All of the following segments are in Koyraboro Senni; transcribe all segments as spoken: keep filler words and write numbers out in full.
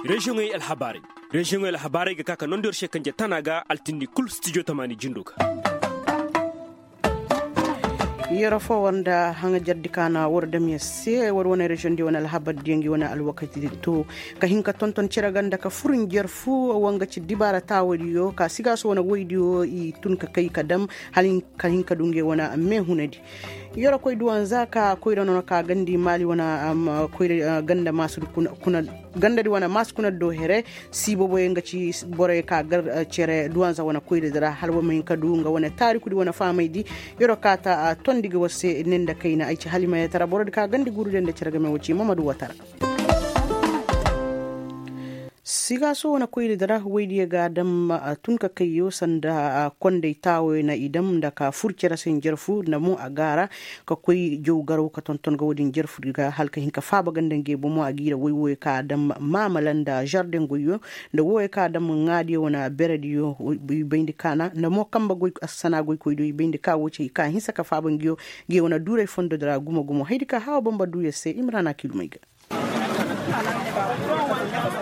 Reziyoŋey alhabaarey. Reziyoŋey alhabaarey ga ka ka nondi yor se kanje tana ga altindi kul stijo tamaani jindo ga. Yero fo war nda haŋajardi ka na war dam yer se war wane reziyoŋ di wane alhabar diyaŋ gi wane alwakati to ka hin ka tonton cere ga nda ka fur njer fu. Wanga ci dibaara taawadiyo ka sigaaso wane woydiyo i tun ka kay ka dam hala ka hin ka du ngey wane meehunadi. Yero koy duwanza ka koyra nono ka gandi maali wane koyra ganda maasudi kuna gandadi wane maasi kuna do here. Si boboyo nga ci boroyo ka gar cere duwanza wane koyra dira hala wa ma hin ka du nga wane taarikudi wane faamaydi. Yero ka ta tondi ga war se ne nda kayna ay ci hala i ma yee tara borodi ka gandi guurudi nda cere game wo ci mamadu watara. Sigaaso wane koyra dira woydiyo ga dam tun ka kayyo sanda konday taawoyo na i dam nda ka fur cere se njarfu nda mo a gaara ka koy jaw garaw ka tonton ga wo-din jarfudi ga hala ka hin ka faaba ganda ngey bomo a ga i ra woy wooyo ka a dam maamala nda zardeŋ goyyo nda wooyo ka a dam ŋaadiyo wane berediyo. I bayndi ka na nda mo kanba goy assana goykoydiyo i bayndi ka woo ci hay ka a hinsa ka faaba nguyo ngey wane duuray fondodi ra gumo gumo haydi ka hawa bamba duu yer se imrana kilumey ga.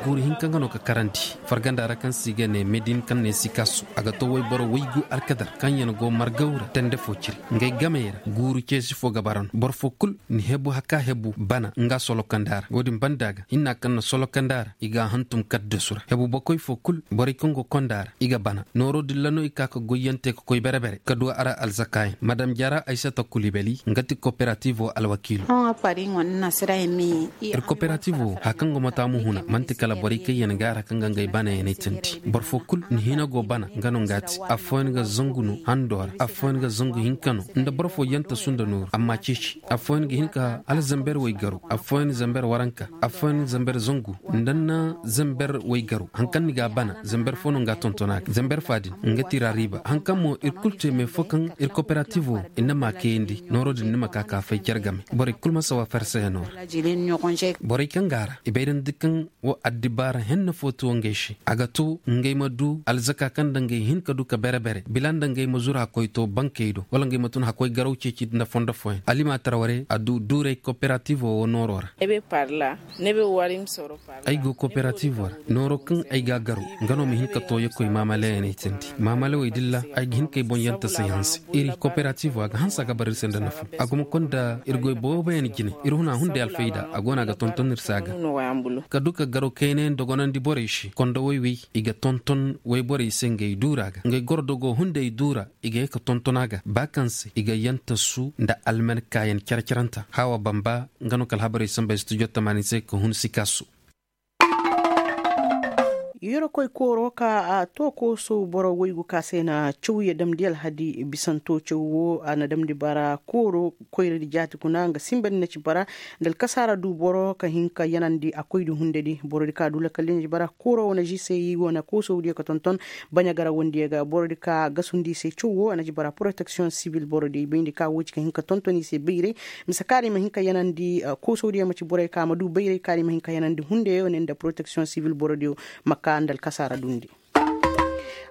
Guuru hinka nga no ka karandi farganda ra kaŋ se i ga ne medin kaŋ ne sikasu a ga to wayboro waygu alkadar kaŋ yaŋ go margaw ra tende fo ciri ngey gamey ra guuru ceesi fo ga bara no boro fo kul ni hebu haka hebu bana nga solokanda ra wo-din banda ga hinna kaŋ na solokanda ra i ga a hantum kaddasu ra hebu bokoy fo kul borey kaŋ go konda ra i ga bana nooro dilla no i ka ka goyyante ka koy bere-bere ka du a ra alzakaayaŋ madam jara aysata kulibali nga ti koperatiivo alwakiilo. Ir koperatiivo haya kaŋ go ma taamu huna man'ti kala borey kaŋ yaŋ ga a ra kaŋ ga ngey banayaŋey tindi boro fo kul ni hina go bana nga no nga ti affooyaŋ ga zangu no hando ra affooyaŋ ga zangu hinka no nda boro fo yanta sunda nooru amma ceeci affooyaŋ ga hin ka hala zamber waygaro affooyaŋ zamber waranka affooyaŋ zamber zangu nda na zamber waygaro haŋ kaŋ ni ga a bana zamber fo no nga tontona ga zamber fa din nga ti ra riiba haŋ kaŋ mo ir kul te me fo kaŋ ir koperatiivo i na ma kayandi nooro din ni ma ka ka fay care game borey kul ma sawa farsayaŋo ra borey kaŋ ga a ra i bayrandi kaŋ wo addibaara henna fo ti wo ngey se a ga to ngey ma du alzaka kaŋ nda ngey hin ka du ka bere-bere bila nda ngey ma zuru hakkoy to bankey do wala ngey ma tun hakkoy garaw ceeci nda fondo fooyaŋ alimatar ware a du duuray koperatiivo wo nooro ra. Ay go koperatiivo ra nooro kaŋ ay ga a garo nga no ma hin ka tooyakoy maamaleyaŋey tindi maamalewey dilla ay ga hin ka ay boŋ yanta say hanse iri koperatiivo a ga hanse a ga bara ir se nda nafa a go ma konda ir goy booboyaŋ jine ir huna hunday alfayda a go no a ga tonton ir se a ga ka du ka garo kaynayaŋ dogonandi borey se kondo woy-woy i ga tonton woyborey se ngey duura ga ngey gordogo hunday duura i ga ye ka tonton a ga ba kaŋ se i ga yantasu nda almankaayaŋ care-caranta hawa bamba nga no ka alhabarey samba studio tamaani se ka hun sikasu. Yerkoy kooro ka a to koosow boro woygu ka se na cawye damndi alhadi bisanto caw wo a na damndi bara kooro koyradi jaati kuna nga sinbandi na ci bara nda alkasaara du boro ka hin ka yanandi a koydi hundedi borodi ka du lakaldi na ci bara kooro wane žisey wane koosowdiyo ka tonton baɲa garawandiyo ga borodi ka gasundi i se caw wo a na ci bara poroteksiyoŋ sibil borodi bayndi ka wo ci ka hin ka tonton i se bayray mise kaari ma hin ka yanandi koosowdiyo ma ci borey ka ma du bayray kaari ma hin ka yanandi hundeyo ne nda poroteksiyoŋ sibil borodiyo ma ka nda alkasaara dundi.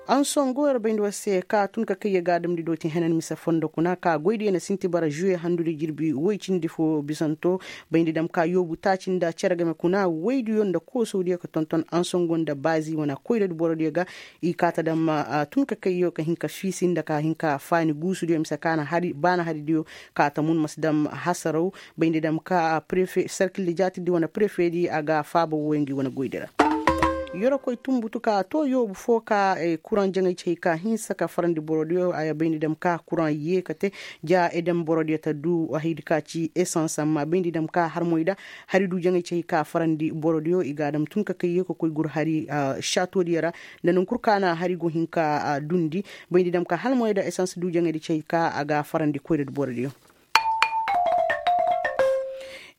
Ansongo yer bayndi war se ka tun ka kay ye ga damndi dooti henan mise fondo kuna ka goydiyo na sinti bara žuwe handudi jirbi woy cindi fo bisanto bayndi dam ka yoobu taaci nda cere game kuna woydiyo nda koosowdiyo ka tonton ansongo nda baazi wane koyradi borodiyo ga i kaata dam tun ka kayyo ka hin ka fiisi nda ka hin ka faani guusudiyo mise ka na hari baana haridiyo kaata mun ma si dam hasaraw bayndi dam ka prefe serkildi jaatidi wane prefedi a ga faaba woy ngi wane goydi ra. Yorokoy tumbutu ka to yoobu fo ka kuraŋ jaŋay cey ka hinsa ka farandi borodiyo a bayndi dam ka kuraŋ yee ka te ja edem borodiyo ta du haydi ka ci esans amma bayndi dam ka harmoy da hari du jaŋay cey ka farandi borodiyo i ga dam tun ka kay yee ka koy gur hari saatodiyo ra nda nankul ka na hari go hin ka dundi bayndi dam ka halmoy da esans du jaŋaydi cey ka a ga farandi koyra di borodiyo.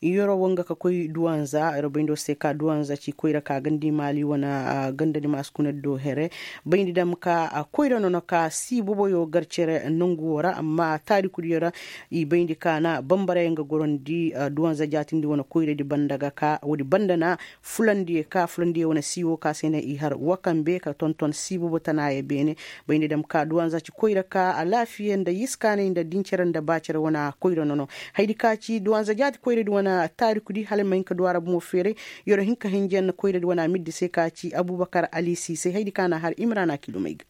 Yoro wanga ka koy duwanza yoro bayndo se ka duwanza ci koyra ka gandi maali wana gandadi maasi kuna do here bayndi dam ka koyra nono ka si boboyo gar cere nangu wora amma taarikudiyo ra i bayndi ka na bambara yaŋ ga gorondi duwanza jaatindi wana koyradi banda ga ka woodi banda na fulandiyo ka fulandiyo wane siiwo ka se ne i har wakambe ka tonton siibobo tanaayo beene bayndi dam ka duwanza ci koyra ka alaafiya nda yiskaanay nda dincere nda baacere wane koyra nono haydi ka ci duwanza jaati koyradi wane Taarikudi hala ay ma hin ka du a ra bomo feeray. Yer'o hin ka hinja yaŋ na koyradi wane a ma ir di se ka ci abubakar ali siisay haydi kaŋ a na a har imrana kilomey ga.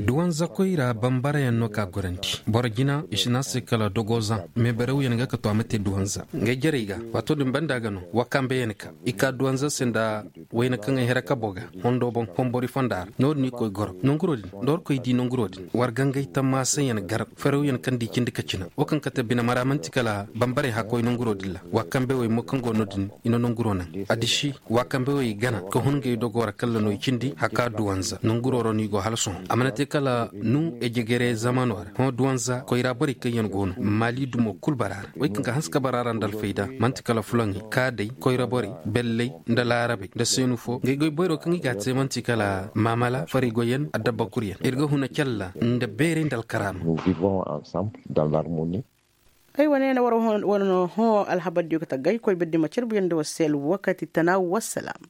Duwanza koyra bambarayaŋ no ka gorandi boro jina i si ne a se kala dogozaŋ. Meebarawyaŋ ga ka to a ma te duwanza ngey jarey ga. Waato din banda ga no wakambeyaŋ ka i ka duwanza se nda wayna kaŋ ay hira kabo ga. Hondo boŋ hombori fonda ra no- din i koy goro nonguro din. Nda war koy di nonguro din war gangay tammaasa yaŋ gar farawyaŋ kaŋ di cindi ka cina wo kaŋ kate bine mara man'ti kala bambarey hakkoy nonguro din ra. Wa kambe wey mo kaŋ go no- din i na nonguro naŋ. Addiši wa kambe wey gana ka hun ngey dogo ra kalla no i cindi haka duwanza nonguro ra no i go hala sohõ a mana te kala nu ejegere zamano ra hõ duwanza koyra borey kaŋ yaŋ go no maali dumo kul bara ra. Wey kaŋ ga hanse ka bara ra nda alfayda man'ti kala fulaŋey kaadey koyra borey belley nda laarabey nda seenu fo ngey goy boyro kaŋ i ga a te man'ti kala maamala farigoyaŋ adabba kuryaŋ ir ga huna calla nda beerey nda alkaraama. Ay wane na war wane no hõ alhabardiyo ga taggay koy birdi ma carbuyaŋ nda war se alwakati tana wassalaam.